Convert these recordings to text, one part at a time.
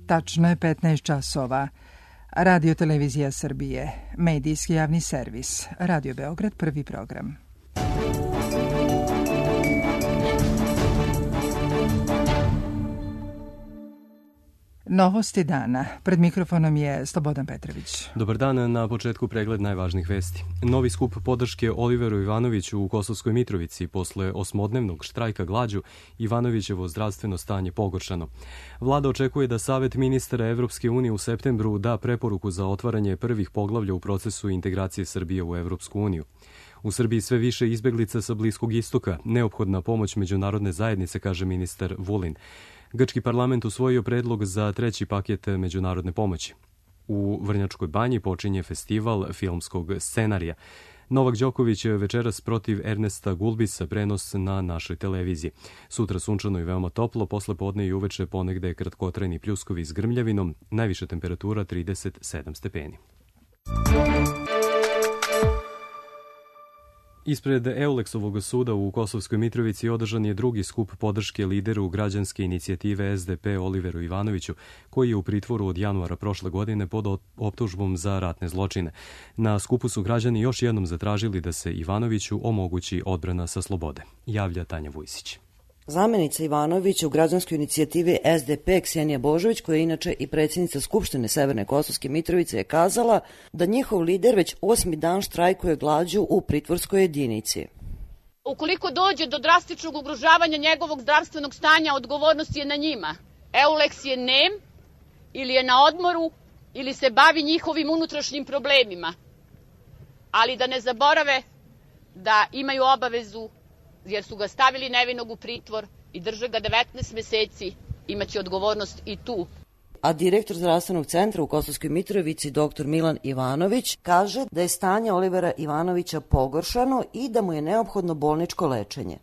Tačno je 15 časova. Radio Televizija Srbije, medijski javni servis, Radio Beograd, prvi program. Novosti dana. Pred mikrofonom je Slobodan Petrović. Dobar dan, na početku pregled najvažnijih vesti. Novi skup podrške Oliveru Ivanoviću u Kosovskoj Mitrovici posle osmodnevnog štrajka glađu, Ivanovićevo zdravstveno stanje pogoršano. Vlada očekuje da Savet ministara Evropske unije u septembru da preporuku za otvaranje prvih poglavlja u procesu integracije Srbije u Evropsku uniju. U Srbiji sve više izbeglica sa Bliskog istoka, neophodna pomoć međunarodne zajednice, kaže ministar Vulin. Grčki parlament usvojio predlog za treći paket međunarodne pomoći. U Vrnjačkoj banji počinje festival filmskog scenarija. Novak Đoković večeras protiv Ernesta Gulbisa, prenos na našoj televiziji. Sutra sunčano i veoma toplo, posle podne i uveče ponegde kratkotrajni pljuskovi s grmljavinom, najviša temperatura 37 stepeni. Ispred Euleksovog suda u Kosovskoj Mitrovici održan je drugi skup podrške lideru građanske inicijative SDP Oliveru Ivanoviću, koji je u pritvoru od januara prošle godine pod optužbom za ratne zločine. Na skupu su građani još jednom zatražili da se Ivanoviću omogući odbrana sa slobode. Javlja Tanja Vujsić. Zamenica Ivanovića u građanskoj inicijativi SDP Ksenija Božović, koja je inače i predsjednica Skupštine Severne Kosovske Mitrovice, je kazala da njihov lider već 8. dan štrajkuje glađu u pritvorskoj jedinici. Ukoliko dođe do drastičnog ugrožavanja njegovog zdravstvenog stanja, odgovornost je na njima. Euleks je nem, ili je na odmoru, ili se bavi njihovim unutrašnjim problemima. Ali da ne zaborave da imaju obavezu, jer su ga stavili nevinog u pritvor i drže ga 19 meseci, imaće odgovornost i tu. A direktor zdravstvenog centra u Kosovskoj Mitrovici, dr. Milan Ivanović, kaže da je stanje Olivera Ivanovića pogoršano i da mu je neophodno bolničko lečenje.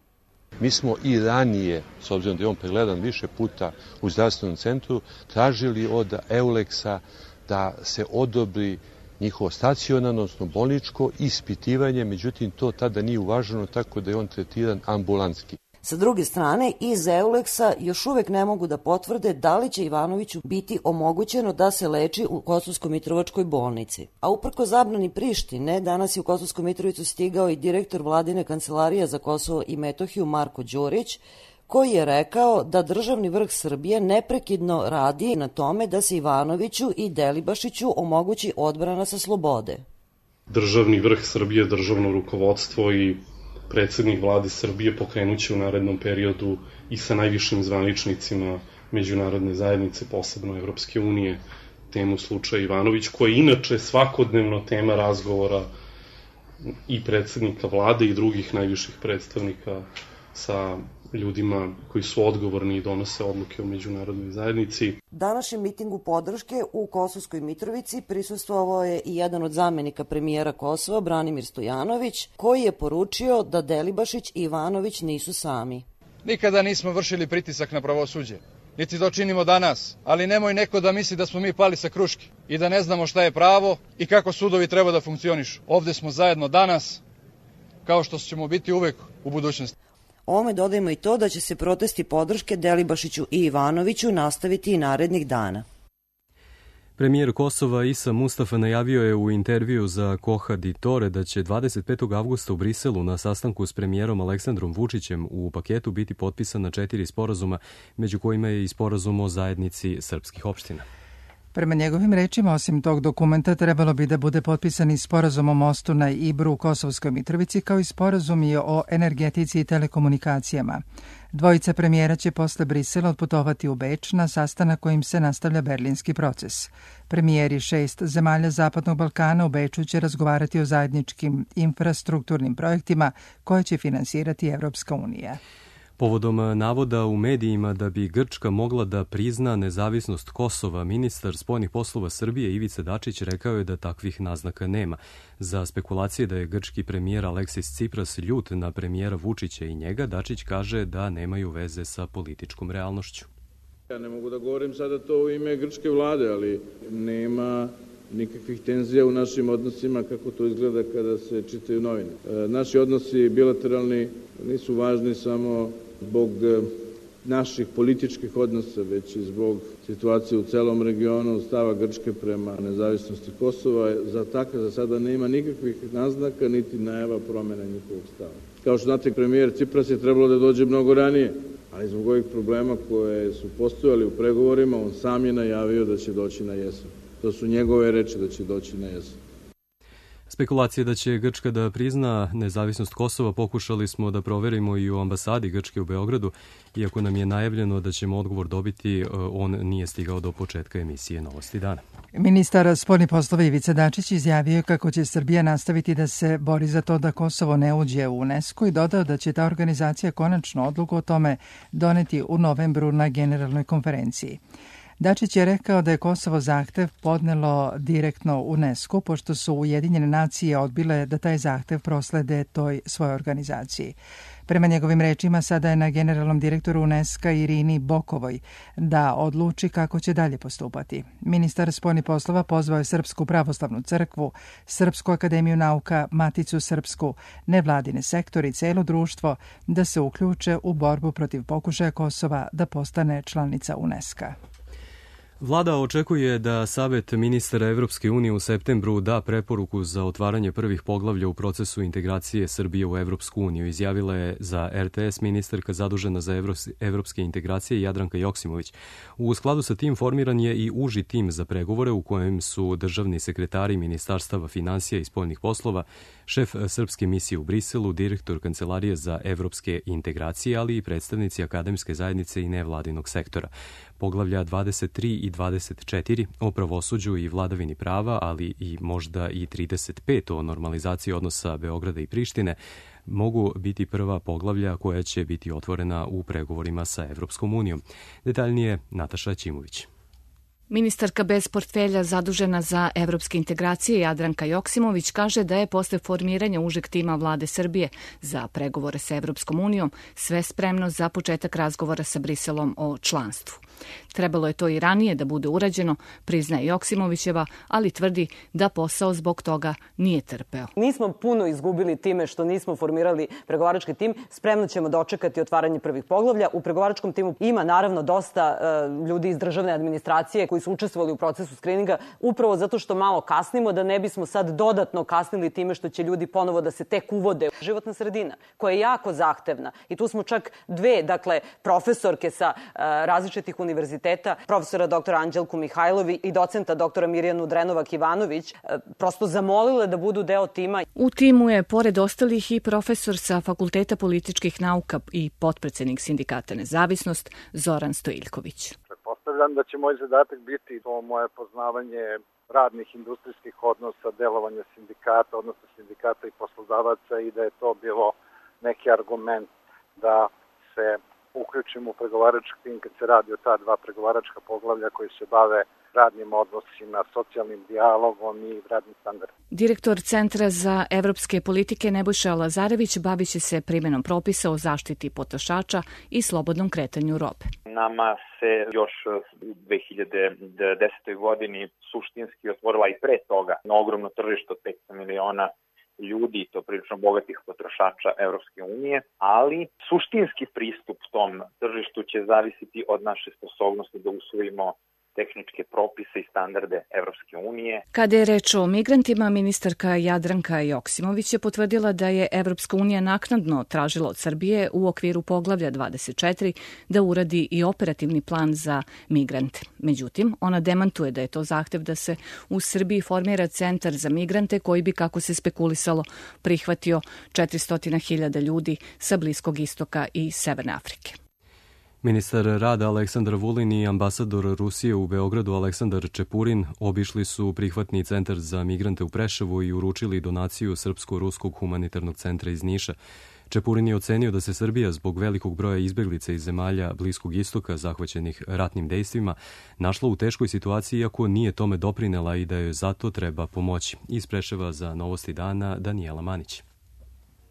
Mi smo i ranije, s obzirom da je on pregledan više puta u zdravstvenom centru, tražili od Euleksa da se odobri njihovo stacionarno, odnosno bolničko ispitivanje, međutim to tada nije uvaženo, tako da je on tretiran ambulantski. Sa druge strane, iz Euleksa još uvek ne mogu da potvrde da li će Ivanoviću biti omogućeno da se leči u Kosovsko-Mitrovačkoj bolnici. A uprko zabrani Prištine, danas je u Kosovsku Mitrovicu stigao i direktor Vladine kancelarije za Kosovo i Metohiju Marko Đurić, koji je rekao da državni vrh Srbije neprekidno radi na tome da se Ivanoviću i Delibašiću omogući odbrana sa slobode. Državni vrh Srbije, državno rukovodstvo i predsjednik vlade Srbije pokrenuće u narednom periodu i sa najvišim zvaničnicima međunarodne zajednice, posebno Evropske unije, temu slučaja Ivanović, koja je inače svakodnevno tema razgovora i predsjednika vlade i drugih najviših predstavnika sa ljudima koji su odgovorni i donose odluke u međunarodnoj zajednici. Današnjem mitingu podrške u Kosovskoj Mitrovici prisustvovao je i jedan od zamenika premijera Kosova, Branimir Stojanović, koji je poručio da Delibašić i Ivanović nisu sami. Nikada nismo vršili pritisak na pravosuđe, niti to činimo danas, ali nemoj neko da misli da smo mi pali sa kruške i da ne znamo šta je pravo i kako sudovi treba da funkcionišu. Ovde smo zajedno danas, kao što ćemo biti uvek u budućnosti. Ovome dodajemo i to da će se protesti podrške Delibašiću i Ivanoviću nastaviti i narednih dana. Premijer Kosova Isa Mustafa najavio je u intervju za Koha di Tore da će 25. avgusta u Briselu na sastanku s premijerom Aleksandrom Vučićem u paketu biti potpisana 4 sporazuma, među kojima je i sporazum o zajednici srpskih opština. Prema njegovim rečima, osim tog dokumenta, trebalo bi da bude potpisan i sporazum o mostu na Ibru u Kosovskoj Mitrovici, kao i sporazum i o energetici i telekomunikacijama. Dvojica premijera će posle Brisela otputovati u Beč na sastanak kojim se nastavlja berlinski proces. Premijeri 6 zemalja Zapadnog Balkana u Beču će razgovarati o zajedničkim infrastrukturnim projektima koje će finansirati Evropska unija. Povodom navoda u medijima da bi Grčka mogla da prizna nezavisnost Kosova, ministar spoljnih poslova Srbije Ivica Dačić rekao je da takvih naznaka nema. Za spekulacije da je grčki premijer Aleksis Cipras ljut na premijera Vučića i njega, Dačić kaže da nemaju veze sa političkom realnošću. Ja ne mogu da govorim sada to u ime grčke vlade, ali nema nikakvih tenzija u našim odnosima kako to izgleda kada se čitaju novine. Naši odnosi bilateralni nisu važni samo zbog naših političkih odnosa, već i zbog situacije u celom regionu, stava Grčke prema nezavisnosti Kosova. Za sada nema nikakvih naznaka niti najava promjena njihovog stava. Kao što znate, premijer Cipras je trebalo da dođe mnogo ranije, ali zbog ovih problema koje su postojali u pregovorima, on sam je najavio da će doći na jesen. To su njegove reči, da će doći na jesen. Spekulacije da će Grčka da prizna nezavisnost Kosova pokušali smo da proverimo i u ambasadi Grčke u Beogradu, iako nam je najavljeno da ćemo odgovor dobiti, on nije stigao do početka emisije Novosti dana. Ministar spoljnih poslova Ivica Dačić izjavio kako će Srbija nastaviti da se bori za to da Kosovo ne uđe u UNESCO i dodao da će ta organizacija konačno odluku o tome doneti u novembru na generalnoj konferenciji. Dačić je rekao da je Kosovo zahtev podnelo direktno UNESCO, pošto su Ujedinjene nacije odbile da taj zahtev proslede toj svojoj organizaciji. Prema njegovim rečima, sada je na generalnom direktoru UNESCO Irini Bokovoj da odluči kako će dalje postupati. Ministar spoljnih poslova pozvao je Srpsku pravoslavnu crkvu, Srpsku akademiju nauka, Maticu srpsku, nevladine sektori i celo društvo da se uključe u borbu protiv pokušaja Kosova da postane članica UNESCO. Vlada očekuje da Savet ministara Evropske unije u septembru da preporuku za otvaranje prvih poglavlja u procesu integracije Srbije u Evropsku uniju, izjavila je za RTS ministarka zadužena za evropske integracije Jadranka Joksimović. U skladu sa tim formiran je i uži tim za pregovore u kojem su državni sekretari ministarstava finansija i spoljnih poslova, šef srpske misije u Briselu, direktor Kancelarije za evropske integracije, ali i predstavnici akademske zajednice i nevladinog sektora. Poglavlja 23 i 24 o pravosuđu i vladavini prava, ali i možda i 35 o normalizaciji odnosa Beograda i Prištine, mogu biti prva poglavlja koja će biti otvorena u pregovorima sa Evropskom unijom. Detaljnije Nataša Ćimović. Ministarka bez portfelja zadužena za evropske integracije Jadranka Joksimović kaže da je posle formiranja užeg tima vlade Srbije za pregovore sa Evropskom unijom sve spremno za početak razgovora sa Briselom o članstvu. Trebalo je to i ranije da bude urađeno, priznaje Joksimovićeva, ali tvrdi da posao zbog toga nije trpeo. Nismo puno izgubili time što nismo formirali pregovarački tim. Spremno ćemo dočekati otvaranje prvih poglavlja. U pregovaračkom timu ima naravno dosta ljudi iz državne administracije koji su učestvovali u procesu skrininga, upravo zato što malo kasnimo, da ne bismo sad dodatno kasnili time što će ljudi ponovo da se tek uvode. Životna sredina koja je jako zahtevna i tu smo čak dve, profesorke sa različitih univerziteta, profesora doktora Anđelku Mihajlovi i docenta doktora Mirjanu Drenovac-Ivanović, prosto zamolile da budu deo tima. U timu je, pored ostalih, i profesor sa Fakulteta političkih nauka i potpredsednik sindikata Nezavisnost Zoran Stojiljković. Pretpostavljam da će moj zadatak biti to moje poznavanje radnih industrijskih odnosa, delovanja sindikata, odnosno sindikata i poslodavaca i da je to bilo neki argument da se uključimo u pregovarački tim kad se radi o ta dva pregovaračka poglavlja koji se bave radnim odnosima, socijalnim dijalogom i radnim standardom. Direktor Centra za evropske politike Nebojša Lazarević bavit će se primjenom propisa o zaštiti potrošača i slobodnom kretanju robe. Nama se još u 2010. godini suštinski otvorila i pre toga na ogromno tržište od 500 miliona ljudi, to prilično bogatih potrošača Evropske unije, ali suštinski pristup tom tržištu će zavisiti od naše sposobnosti da usvojimo tehničke propise i standarde Evropske unije. Kada je reč o migrantima, ministarka Jadranka Joksimović je potvrdila da je Evropska unija naknadno tražila od Srbije u okviru poglavlja 24 da uradi i operativni plan za migrante. Međutim, ona demantuje da je to zahtev da se u Srbiji formira centar za migrante koji bi, kako se spekulisalo, prihvatio 400.000 ljudi sa Bliskog istoka i Severne Afrike. Ministar rada Aleksandar Vulin i ambasador Rusije u Beogradu Aleksandar Čepurin obišli su prihvatni centar za migrante u Preševu i uručili donaciju Srpsko-ruskog humanitarnog centra iz Niša. Čepurin je ocenio da se Srbija zbog velikog broja izbeglica iz zemalja Bliskog istoka zahvaćenih ratnim dejstvima našla u teškoj situaciji, iako nije tome doprinela i da joj zato treba pomoći. Iz Preševa za Novosti dana Danijela Manić.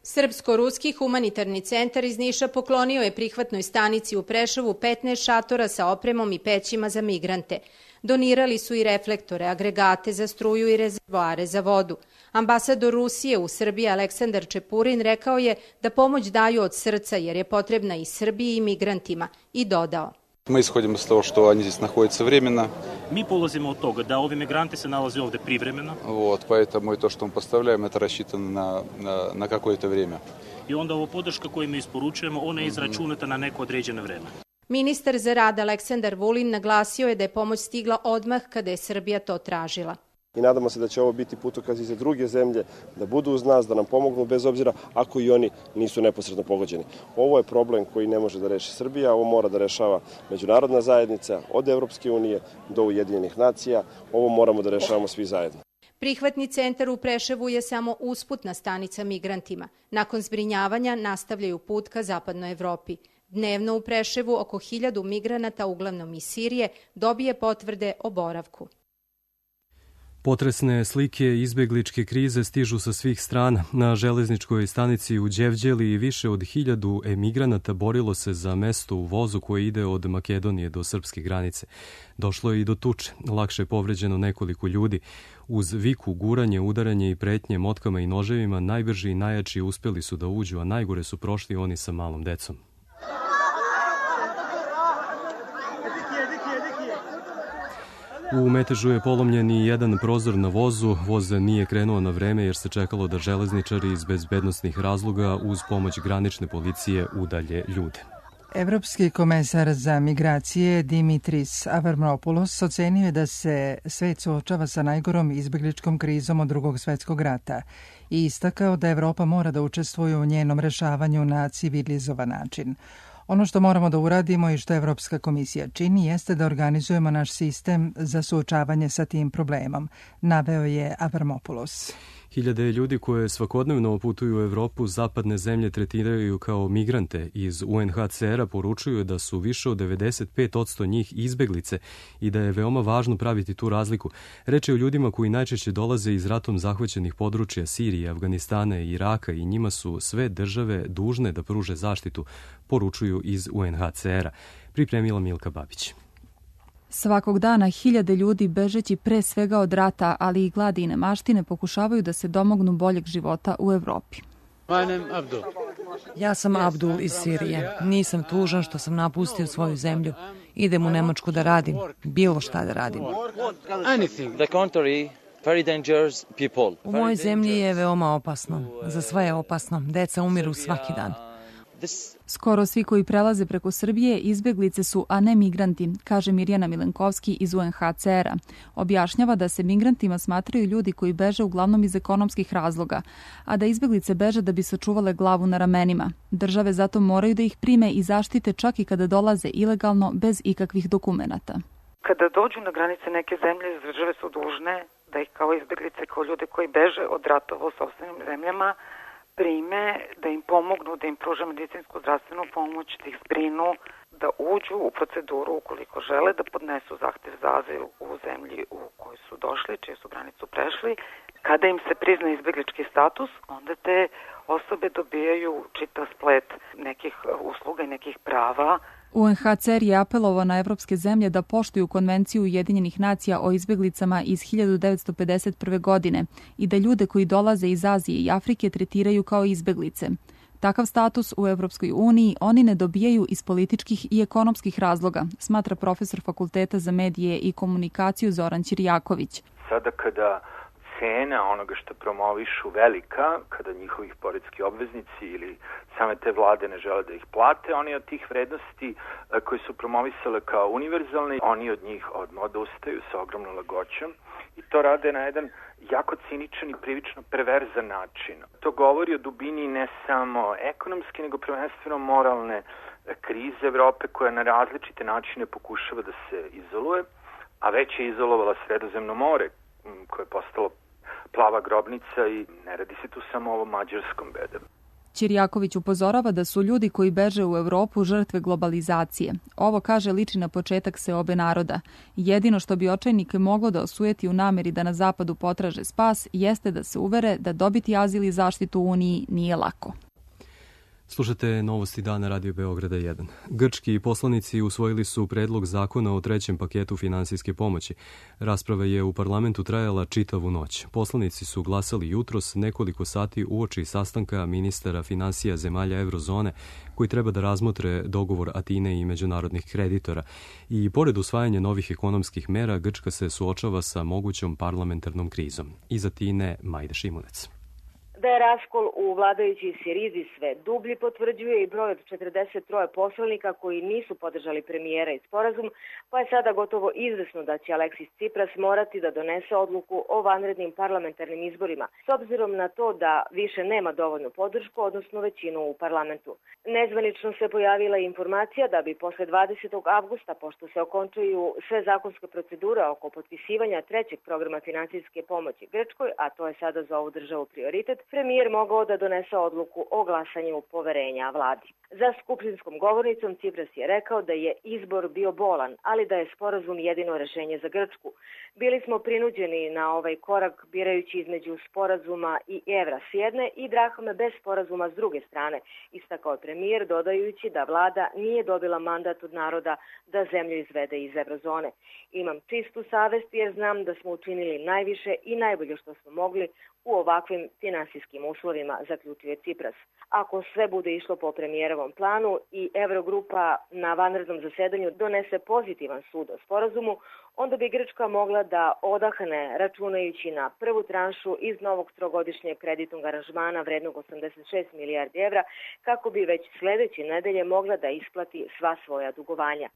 Srpsko-ruski humanitarni centar iz Niša poklonio je prihvatnoj stanici u Preševu 15 šatora sa opremom i pećima za migrante. Donirali su i reflektore, agregate za struju i rezervoare za vodu. Ambasador Rusije u Srbiji Aleksandar Čepurin rekao je da pomoć daju od srca jer je potrebna i Srbiji i migrantima i dodao. Мы исходим из того, что они здесь находятся временно. Mi polazimo od toga da ovi migranti se nalaze ovde privremeno. Поэтому и то, что мы поставляем, это рассчитано на какое-то время. I onda ovo podrška koju mi isporučujemo, ona je izračunata na neko određeno vreme. Ministar za rad Aleksandar Vulin naglasio je da je pomoć stigla odmah kada je Srbija to tražila. I nadamo se da će ovo biti putokaz i za druge zemlje, da budu uz nas, da nam pomognu bez obzira ako i oni nisu neposredno pogođeni. Ovo je problem koji ne može da reši Srbija, ovo mora da rešava međunarodna zajednica, od Evropske unije do Ujedinjenih nacija, ovo moramo da rešavamo svi zajedno. Prihvatni centar u Preševu je samo usputna stanica migrantima. Nakon zbrinjavanja nastavljaju put ka zapadnoj Evropi. Dnevno u Preševu oko 1000 migranata, uglavnom iz Sirije, dobije potvrde o boravku. Potresne slike izbegličke krize stižu sa svih strana. Na železničkoj stanici u Đevđeli više od 1000 emigranata borilo se za mesto u vozu koje ide od Makedonije do srpske granice. Došlo je i do tuče. Lakše je povređeno nekoliko ljudi. Uz viku, guranje, udaranje i pretnje motkama i noževima, najbrži i najjači uspeli su da uđu, a najgore su prošli oni sa malom decom. U metežu je polomljen i jedan prozor na vozu. Voz nije krenuo na vreme jer se čekalo da železničari iz bezbednosnih razloga uz pomoć granične policije udalje ljude. Evropski komesar za migracije Dimitris Avramopoulos ocenio je da se svet suočava sa najgorom izbegličkom krizom od Drugog svetskog rata i istakao da Evropa mora da učestvuje u njenom rešavanju na civilizovan način. Ono što moramo da uradimo i što Evropska komisija čini jeste da organizujemo naš sistem za suočavanje sa tim problemom, naveo je Avramopoulos. Hiljade ljudi koje svakodnevno putuju u Evropu zapadne zemlje tretiraju kao migrante. Iz UNHCR-a poručuju da su više od 95% njih izbeglice i da je veoma važno praviti tu razliku. Reč je o ljudima koji najčešće dolaze iz ratom zahvaćenih područja Sirije, Afganistana i Iraka i njima su sve države dužne da pruže zaštitu, poručuju iz UNHCR-a. Pripremila Milka Babić. Svakog dana hiljade ljudi bežeći pre svega od rata, ali i gladi i nemaštine pokušavaju da se domognu boljeg života u Evropi. Ja sam Abdul iz Sirije. Nisam tužan što sam napustio svoju zemlju. Idem u Nemačku da radim, bilo šta da radim. U mojoj zemlji je veoma opasno. Za sve je opasno. Deca umiru svaki dan. Skoro svi koji prelaze preko Srbije izbeglice su, a ne migranti, kaže Mirjana Milenkovski iz UNHCR-a. Objašnjava da se migrantima smatraju ljudi koji beže uglavnom iz ekonomskih razloga, a da izbeglice beže da bi sačuvale glavu na ramenima. Države zato moraju da ih prime i zaštite čak i kada dolaze ilegalno bez ikakvih dokumenata. Kada dođu na granice neke zemlje, države su dužne da ih kao izbeglice, kao ljude koji beže od ratova u sopstvenim zemljama, prime, da im pomognu, da im pruže medicinsku zdravstvenu pomoć, da ih zbrinu, da uđu u proceduru ukoliko žele da podnesu zahtev za azil u zemlji u kojoj su došli, čiju su granicu prešli. Kada im se prizna izbeglički status, onda te osobe dobijaju čitav splet nekih usluga i nekih prava. UNHCR je apelovao na evropske zemlje da poštuju Konvenciju Ujedinjenih nacija o izbeglicama iz 1951. godine i da ljude koji dolaze iz Azije i Afrike tretiraju kao izbeglice. Takav status u Evropskoj uniji oni ne dobijaju iz političkih i ekonomskih razloga, smatra profesor Fakulteta za medije i komunikaciju Zoran Ćirjaković. Sada kada cena onoga što promovišu velika, kada njihovih poreski obveznici ili same te vlade ne žele da ih plate, oni od tih vrednosti koji su promovisale kao univerzalne, oni od njih odustaju sa ogromnom lagoćom i to rade na jedan jako ciničan i prilično perverzan način. To govori o dubini ne samo ekonomske, nego prvenstveno moralne krize Evrope koja na različite načine pokušava da se izoluje, a već je izolovala Sredozemno more koje je postalo plava grobnica i ne radi se tu samo o ovom mađarskom bedemu. Ćirjaković upozorava da su ljudi koji beže u Evropu žrtve globalizacije. Ovo, kaže, liči na početak seobe naroda. Jedino što bi očajnike moglo da osujeti u nameri da na zapadu potraže spas jeste da se uvere da dobiti azil i zaštitu u Uniji nije lako. Slušate novosti dana Radio Beograda 1. Grčki poslanici usvojili su predlog zakona o trećem paketu finansijske pomoći. Rasprava je u parlamentu trajala čitavu noć. Poslanici su glasali jutros nekoliko sati uoči sastanka ministara finansija zemalja eurozone koji treba da razmotre dogovor Atine i međunarodnih kreditora. I pored usvajanja novih ekonomskih mera, Grčka se suočava sa mogućom parlamentarnom krizom. Iz Atine, Majda Šimunec. Da je raskol u vladajućoj Sirizi sve dublji potvrđuje i broj od 43 poslanika koji nisu podržali premijera i sporazum, pa je sada gotovo izvesno da će Aleksis Tsipras morati da donese odluku o vanrednim parlamentarnim izborima, s obzirom na to da više nema dovoljnu podršku, odnosno većinu u parlamentu. Nezvanično se pojavila informacija da bi posle 20. avgusta, pošto se okončaju sve zakonske procedure oko potpisivanja trećeg programa finansijske pomoći Grčkoj, a to je sada za ovu državu prioritet, premijer mogao da donese odluku o glasanju poverenja vladi. Za skupštinskom govornicom Tsipras je rekao da je izbor bio bolan, ali da je sporazum jedino rešenje za Grčku. Bili smo prinuđeni na ovaj korak birajući između sporazuma i evra s jedne i drahme bez sporazuma s druge strane, istakao je premijer, dodajući da vlada nije dobila mandat od naroda da zemlju izvede iz eurozone. Imam čistu savest jer znam da smo učinili najviše i najbolje što smo mogli u ovakvim finansijskim uslovima, zaključio je Tsipras. Ako sve bude išlo po premijerovom planu i Eurogrupa na vanrednom zasedanju donese pozitivan sud o sporazumu, onda bi Grčka mogla da odahne računajući na prvu tranšu iz novog trogodišnjeg kreditnog aranžmana vrednog 86 milijardi evra, kako bi već sledeće nedelje mogla da isplati sva svoja dugovanja.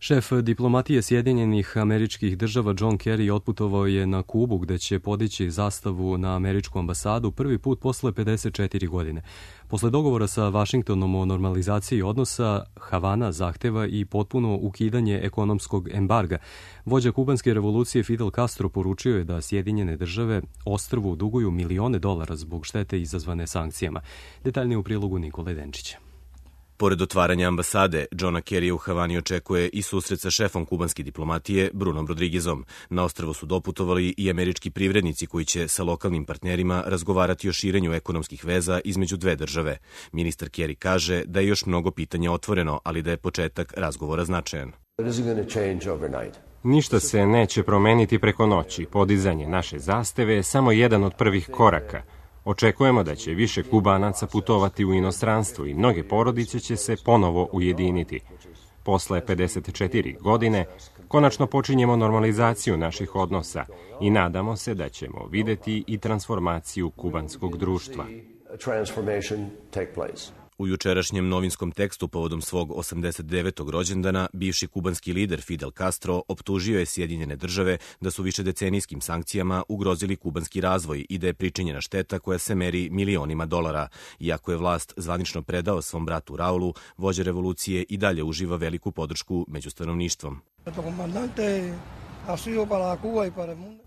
Šef diplomatije Sjedinjenih Američkih Država John Kerry otputovao je na Kubu gde će podići zastavu na američku ambasadu prvi put posle 54 godine. Posle dogovora sa Vašingtonom o normalizaciji odnosa, Havana zahteva i potpuno ukidanje ekonomskog embarga. Vođa kubanske revolucije Fidel Castro poručio je da Sjedinjene Države ostrvu duguju milione dolara zbog štete izazvane sankcijama. Detaljnije u prilogu Nikole Denčića. Pored otvaranja ambasade, Johna Kerrya u Havani očekuje i susret sa šefom kubanske diplomatije Brunom Rodriguezom. Na ostrvo su doputovali i američki privrednici koji će sa lokalnim partnerima razgovarati o širenju ekonomskih veza između dve države. Ministar Kerry kaže da je još mnogo pitanja otvoreno, ali da je početak razgovora značajan. Ništa se neće promeniti preko noći. Podizanje naše zastave je samo jedan od prvih koraka. Očekujemo da će više Kubanaca putovati u inostranstvo i mnoge porodice će se ponovo ujediniti. Posle 54 godine konačno počinjemo normalizaciju naših odnosa i nadamo se da ćemo videti i transformaciju kubanskog društva. U jučerašnjem novinskom tekstu povodom svog 89. rođendana, bivši kubanski lider Fidel Castro optužio je Sjedinjene Države da su višedecenijskim sankcijama ugrozili kubanski razvoj i da je pričinjena šteta koja se meri milionima dolara. Iako je vlast zvanično predao svom bratu Raulu, vođa revolucije i dalje uživa veliku podršku među stanovništvom.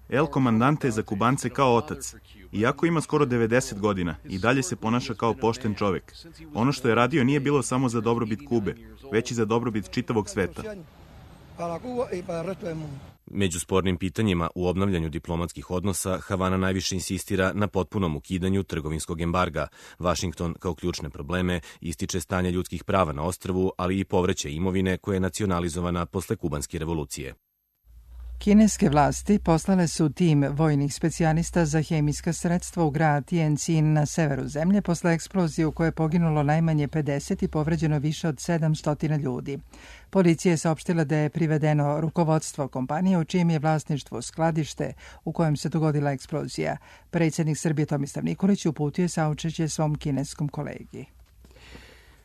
El Comandante je za Kubance kao otac. Iako ima skoro 90 godina, i dalje se ponaša kao pošten čovek. Ono što je radio nije bilo samo za dobrobit Kube, već i za dobrobit čitavog sveta. Među spornim pitanjima u obnavljanju diplomatskih odnosa, Havana najviše insistira na potpunom ukidanju trgovinskog embarga. Vašington kao ključne probleme ističe stanje ljudskih prava na ostrvu, ali i povraćaj imovine koja je nacionalizovana posle kubanske revolucije. Kineske vlasti poslale su tim vojnih specijalista za hemijska sredstva u grad Tianjin na severu zemlje posle eksplozije u kojoj je poginulo najmanje 50 i povređeno više od 700 ljudi. Policija je saopštila da je privedeno rukovodstvo kompanije u čijem je vlasništvo skladište u kojem se dogodila eksplozija. Predsjednik Srbije Tomislav Nikolić uputio saučešće svom kineskom kolegi.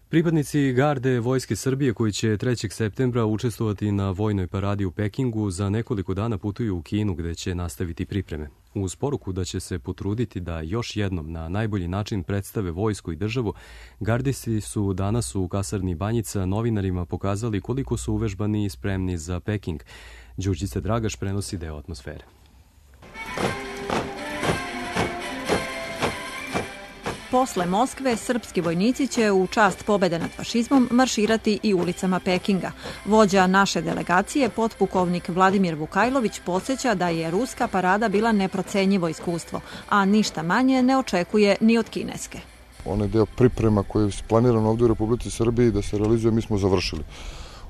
Pripadnici garde Vojske Srbije koji će 3. septembra učestvovati na vojnoj paradi u Pekingu za nekoliko dana putuju u Kinu gde će nastaviti pripreme. Uz poruku da će se potruditi da još jednom na najbolji način predstave vojsku i državu, gardisti su danas u kasarni Banjica novinarima pokazali koliko su uvežbani i spremni za Peking. Đurđica Dragaš prenosi deo atmosfere. Posle Moskve, srpski vojnici će u čast pobede nad fašizmom marširati i ulicama Pekinga. Vođa naše delegacije, potpukovnik Vladimir Vukajlović, podsjeća da je ruska parada bila neprocenjivo iskustvo, a ništa manje ne očekuje ni od kineske. Onaj deo priprema koji je planiran ovdje u Republici Srbiji da se realizuje, mi smo završili.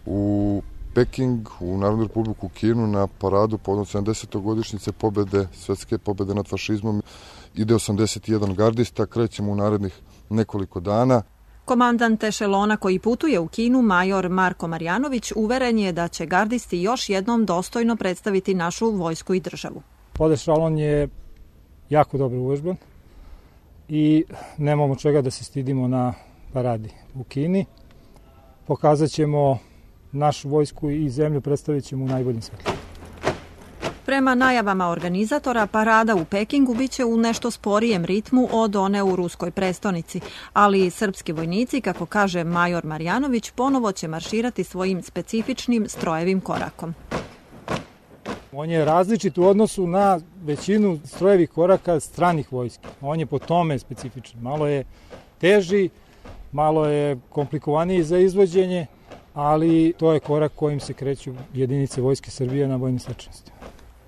U Peking, u Narodnu republiku Kinu, na paradu povodom 70. godišnjice pobede, svetske pobede nad fašizmom, ide 81 gardista, krećemo u narednih nekoliko dana. Komandant ešelona koji putuje u Kinu, major Marko Marjanović, uveren je da će gardisti još jednom dostojno predstaviti našu vojsku i državu. Pod ešelon je jako dobro uvežban i nemamo čega da se stidimo na paradi u Kini. Pokazat ćemo našu vojsku i zemlju, predstavit ćemo u najboljim svetlima. Prema najavama organizatora, parada u Pekingu biće u nešto sporijem ritmu od one u ruskoj prestonici, ali srpski vojnici, kako kaže major Marjanović, ponovo će marširati svojim specifičnim strojevim korakom. On je različit u odnosu na većinu strojevih koraka stranih vojski. On je po tome specifičan. Malo je teži, malo je komplikovaniji za izvođenje, ali to je korak kojim se kreću jedinice Vojske Srbije na vojnim svečanostima.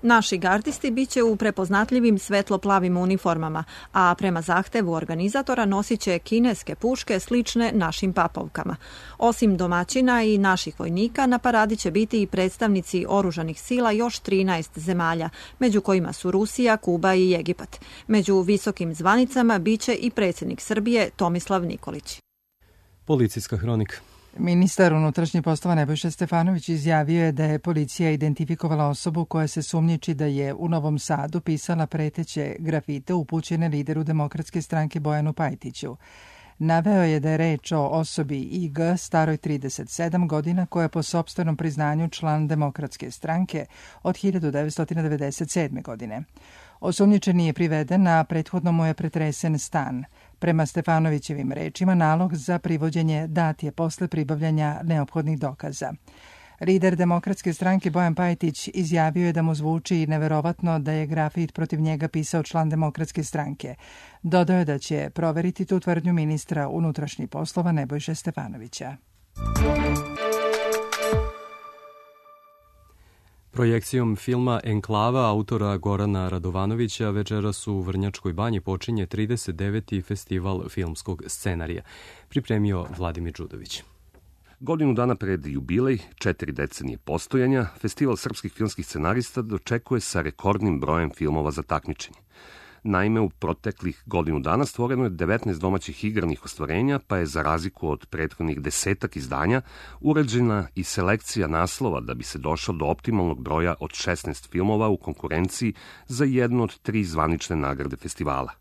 Naši gardisti biće u prepoznatljivim svetlo-plavim uniformama, a prema zahtevu organizatora nosit će kineske puške slične našim papovkama. Osim domaćina i naših vojnika, na paradi će biti i predstavnici oružanih sila još 13 zemalja, među kojima su Rusija, Kuba i Egipat. Među visokim zvanicama biće i predsjednik Srbije Tomislav Nikolić. Policijska hronika. Ministar unutrašnjih poslova Nebojša Stefanović izjavio je da je policija identifikovala osobu koja se sumnjiči da je u Novom Sadu pisala preteće grafite upućene lideru Demokratske stranke Bojanu Pajtiću. Naveo je da je reč o osobi IG staroj 37 godina koja je po sopstvenom priznanju član Demokratske stranke od 1997. godine. Osumnjičeni je priveden, a prethodno mu je pretresen stan. Prema Stefanovićevim rečima, nalog za privođenje dat je posle pribavljanja neophodnih dokaza. Lider Demokratske stranke Bojan Pajtić izjavio je da mu zvuči neverovatno da je grafit protiv njega pisao član Demokratske stranke. Dodao je da će proveriti tu tvrdnju ministra unutrašnjih poslova Nebojše Stefanovića. Projekcijom filma Enklava autora Gorana Radovanovića večeras u Vrnjačkoj banji počinje 39. festival filmskog scenarija. Pripremio Vladimir Đudović. Godinu dana pred jubilej, 4 decenije postojanja, Festival srpskih filmskih scenarista dočekuje sa rekordnim brojem filmova za takmičenje. Naime, u proteklih godinu dana stvoreno je 19 domaćih igranih ostvarenja, pa je za razliku od prethodnih 10 izdanja urađena i selekcija naslova da bi se došlo do optimalnog broja od 16 filmova u konkurenciji za jednu od 3 zvanične nagrade festivala.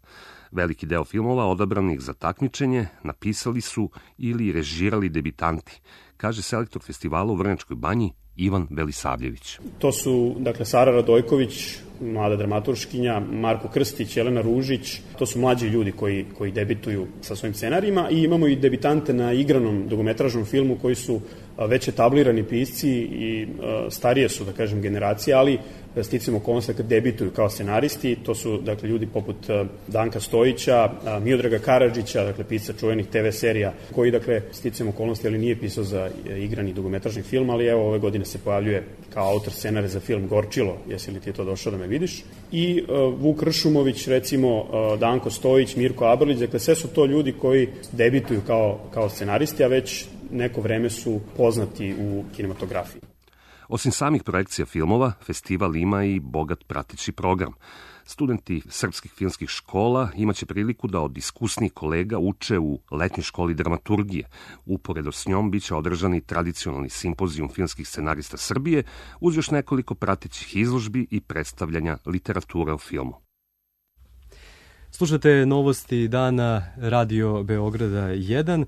Veliki deo filmova odabranih za takmičenje napisali su ili režirali debitanti, kaže selektor festivala u Vrnjačkoj banji Ivan Velisavljević. To su, dakle, Sara Radojković, mlada dramaturškinja, Marko Krstić, Jelena Ružić. To su mlađi ljudi koji debituju sa svojim scenarijima i imamo i debitante na igranom dugometražnom filmu koji su već etablirani pisci i starije su, da kažem, generacije, ali sticam okolnosti kad debituju kao scenaristi. To su, dakle, ljudi poput Danka Stojića, Miodraga Karadžića, dakle, pisca čuvenih TV serija, koji, dakle, sticam okolnosti, ali nije pisao za igrani dugometražni film, ali evo, ove godine se pojavljuje kao autor scenarija za film Gorčilo, jesi li ti to došao da me vidiš, i Vuk Ršumović, recimo, Danko Stojić, Mirko Abrlić, dakle, sve su to ljudi koji debituju kao scenaristi, a već neko vreme su poznati u kinematografiji. Osim samih projekcija filmova, festival ima i bogat prateći program. Studenti srpskih filmskih škola imaće priliku da od iskusnih kolega uče u letnjoj školi dramaturgije. Uporedo s njom biće održani tradicionalni simpozijum filmskih scenarista Srbije uz još nekoliko pratećih izložbi i predstavljanja literature o filmu. Slušate novosti dana Radio Beograda 1.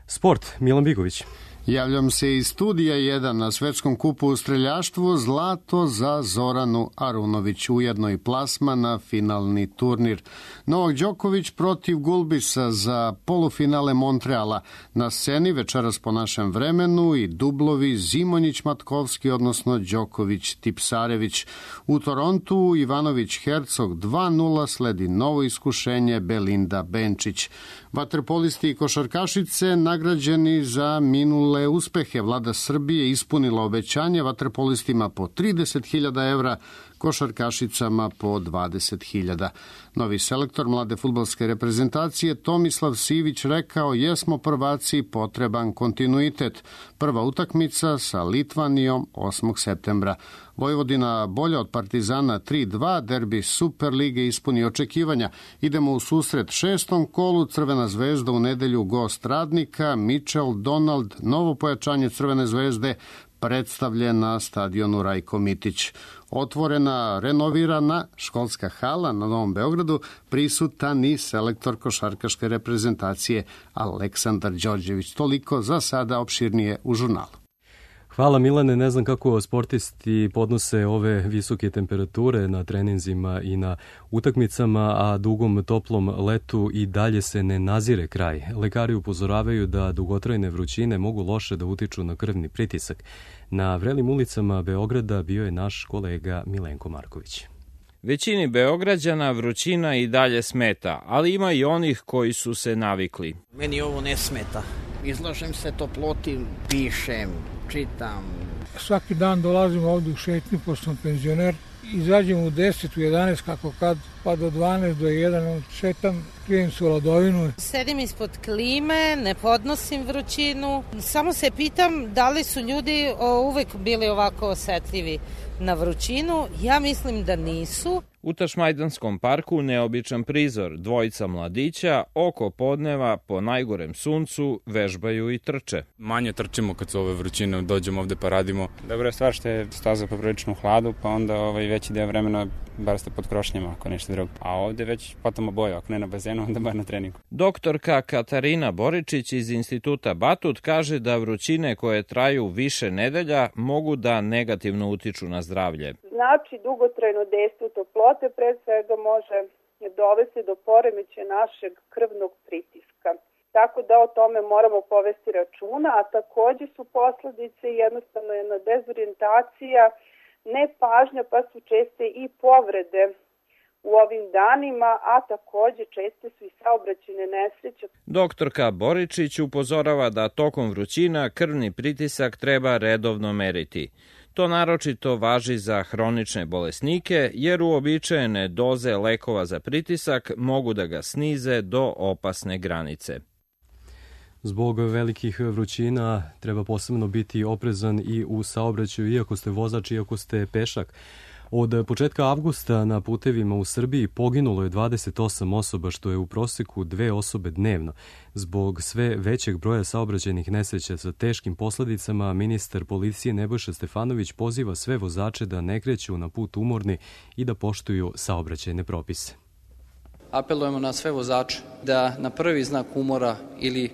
Sport, Milan Bigović. Javljam se iz studija 1 na svetskom kupu u streljaštvu, zlato za Zoranu Arunović, ujedno i plasma na finalni turnir. Novak Đoković protiv Gulbisa za polufinale Montreala. Na sceni večeras po našem vremenu i dublovi Zimonjić-Matkovski, odnosno Đoković-Tipsarević. U Torontu Ivanović-Hercog 2-0, sledi novo iskušenje Belinda Benčić. Vaterpolisti i košarkašice nagrađeni za minule uspehe. Vlada Srbije ispunila obećanje vaterpolistima po 30.000 evra košarkašicama po 20.000. Novi selektor mlade fudbalske reprezentacije Tomislav Sivić rekao: jesmo prvaci, potreban kontinuitet. Prva utakmica sa Litvanijom 8. septembra. Vojvodina bolja od Partizana 3-2, derbi Superlige ispuni očekivanja. Idemo u susret 6. kolu, Crvena zvezda u nedelju gost Radnika, Mitchell Donald, novo pojačanje Crvene zvezde, predstavljen na stadionu Rajko Mitić. Otvorena, renovirana školska hala na Novom Beogradu, prisutan i selektor košarkaške reprezentacije Aleksandar Đorđević. Toliko za sada, opširnije u žurnalu. Hvala Milane, ne znam kako sportisti podnose ove visoke temperature na treninzima i na utakmicama, a dugom toplom letu i dalje se ne nazire kraj. Lekari upozoravaju da dugotrajne vrućine mogu loše da utiču na krvni pritisak. Na vrelim ulicama Beograda bio je naš kolega Milenko Marković. Većini Beograđana vrućina i dalje smeta, ali ima i onih koji su se navikli. Meni ovo ne smeta. Izlažem se toploti, pišem, čitam. Svaki dan dolazim ovdje u šetnju, pošto sam penzioner. Izađem u 10, u 11, kako kad, pa do 12, do 1, šetam, pijem su ladovinu. Sedim ispod klime, ne podnosim vrućinu. Samo se pitam da li su ljudi uvek bili ovako osetljivi na vrućinu. Ja mislim da nisu. U Tašmajdanskom parku neobičan prizor. Dvojica mladića oko podneva po najgorem suncu vežbaju i trče. Manje trčimo kad su ove vrućine, dođemo ovde pa radimo. Dobra je stvar što je staza poprilično u hladu, pa onda veći deo vremena bar ste pod krošnjama, ako nešto drugo. A ovde već potamo boju, ako ne na bazenu, onda bar na treningu. Doktorka Katarina Boričić iz Instituta Batut kaže da vrućine koje traju više nedelja mogu da negativno utiču na zdravlje. Znači, dugotrajno dejstvo toplote pre svega može dovesti do poremećaja našeg krvnog pritiska. Tako da o tome moramo povesti računa, a takođe su posledice jednostavno jedna dezorijentacija, nepažnja, pa su česte i povrede u ovim danima, a takođe česte su i saobraćajne nesreće. Doktorka Boričić upozorava da tokom vrućina krvni pritisak treba redovno meriti. To naročito važi za hronične bolesnike, jer uobičajene doze lekova za pritisak mogu da ga snize do opasne granice. Zbog velikih vrućina treba posebno biti oprezan i u saobraćaju, iako ste vozač, iako ste pešak. Od početka avgusta na putevima u Srbiji poginulo je 28 osoba, što je u proseku 2 osobe dnevno. Zbog sve većeg broja saobraćajnih nesreća sa teškim posledicama, ministar policije Nebojša Stefanović poziva sve vozače da ne kreću na put umorni i da poštuju saobraćajne propise. Apelujemo na sve vozače da na prvi znak umora ili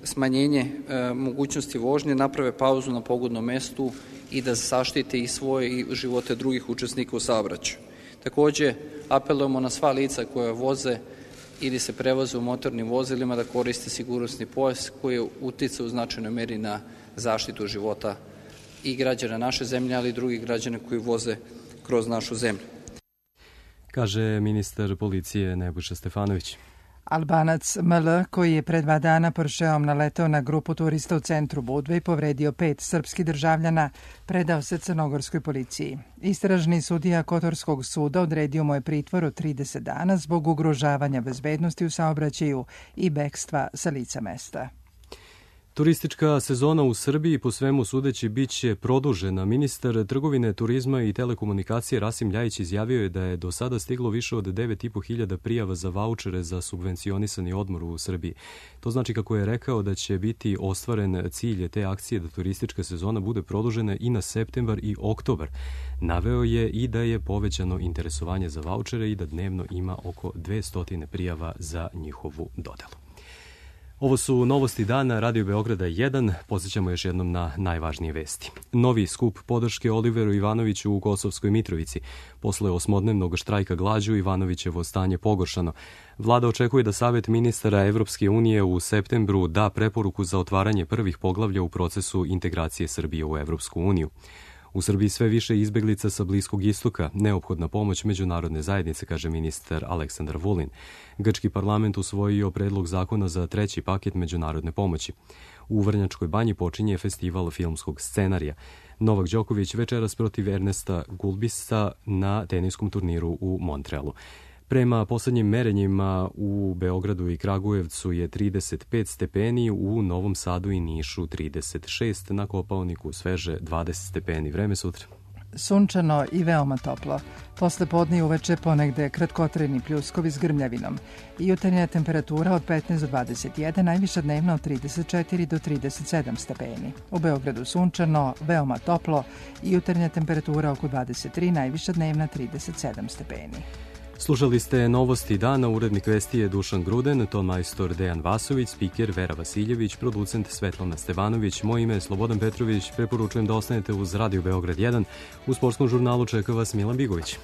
smanjenje mogućnosti vožnje naprave pauzu na pogodnom mestu i da zaštite i svoje i živote drugih učesnika u saobraćaju. Takođe, apelujemo na sva lica koja voze ili se prevoze u motornim vozilima da koriste sigurnosni pojas koji je uticao u značajnoj meri na zaštitu života i građana naše zemlje, ali i drugih građana koji voze kroz našu zemlju. Kaže ministar policije Nebojša Stefanović. Albanac ML, koji je pre 2 dana Porscheom naletao na grupu turista u centru Budve i povredio 5 srpskih državljana, predao se crnogorskoj policiji. Istražni sudija Kotorskog suda odredio mu je pritvor od 30 dana zbog ugrožavanja bezbednosti u saobraćaju i bekstva sa lica mesta. Turistička sezona u Srbiji po svemu sudeći biće produžena. Ministar trgovine, turizma i telekomunikacije Rasim Ljajić izjavio je da je do sada stiglo više od 9.500 prijava za vaučere za subvencionisani odmor u Srbiji. To znači, kako je rekao, da će biti ostvaren cilj te akcije da turistička sezona bude produžena i na septembar i oktobar. Naveo je i da je povećano interesovanje za vaučere i da dnevno ima oko 200 prijava za njihovu dodelu. Ovo su novosti dana Radio Beograda 1. Podsjećamo još jednom na najvažnije vesti. Novi skup podrške Oliveru Ivanoviću u Kosovskoj Mitrovici. Posle 8-dnevnog štrajka glađu Ivanovićevo stanje pogoršano. Vlada očekuje da Savet ministara Evropske unije u septembru da preporuku za otvaranje prvih poglavlja u procesu integracije Srbije u Evropsku uniju. U Srbiji sve više izbeglica sa Bliskog istoka, neophodna pomoć međunarodne zajednice, kaže ministar Aleksandar Vulin. Grčki parlament usvojio predlog zakona za 3. paket međunarodne pomoći. U Vrnjačkoj banji počinje festival filmskog scenarija. Novak Đoković večeras protiv Ernesta Gulbisa na teniskom turniru u Montrealu. Prema poslednjim merenjima u Beogradu i Kragujevcu je 35 stepeni, u Novom Sadu i Nišu 36, na Kopaoniku sveže 20 stepeni. Vreme sutra. Sunčano i veoma toplo. Posle podne i uveče ponegde kratkotrajni pljuskovi s grmljavinom. Jutarnja temperatura od 15 do 21, najviša dnevna od 34 do 37 stepeni. U Beogradu sunčano, veoma toplo i jutarnja temperatura oko 23, najviša dnevna 37 stepeni. Slušali ste novosti dana, urednik vesti je Dušan Gruden, ton majstor Dejan Vasović, spiker Vera Vasiljević, producent Svetlana Stevanović, moje ime je Slobodan Petrović, preporučujem da ostanete uz Radio Beograd 1, u sportskom žurnalu čeka vas Milan Bigović.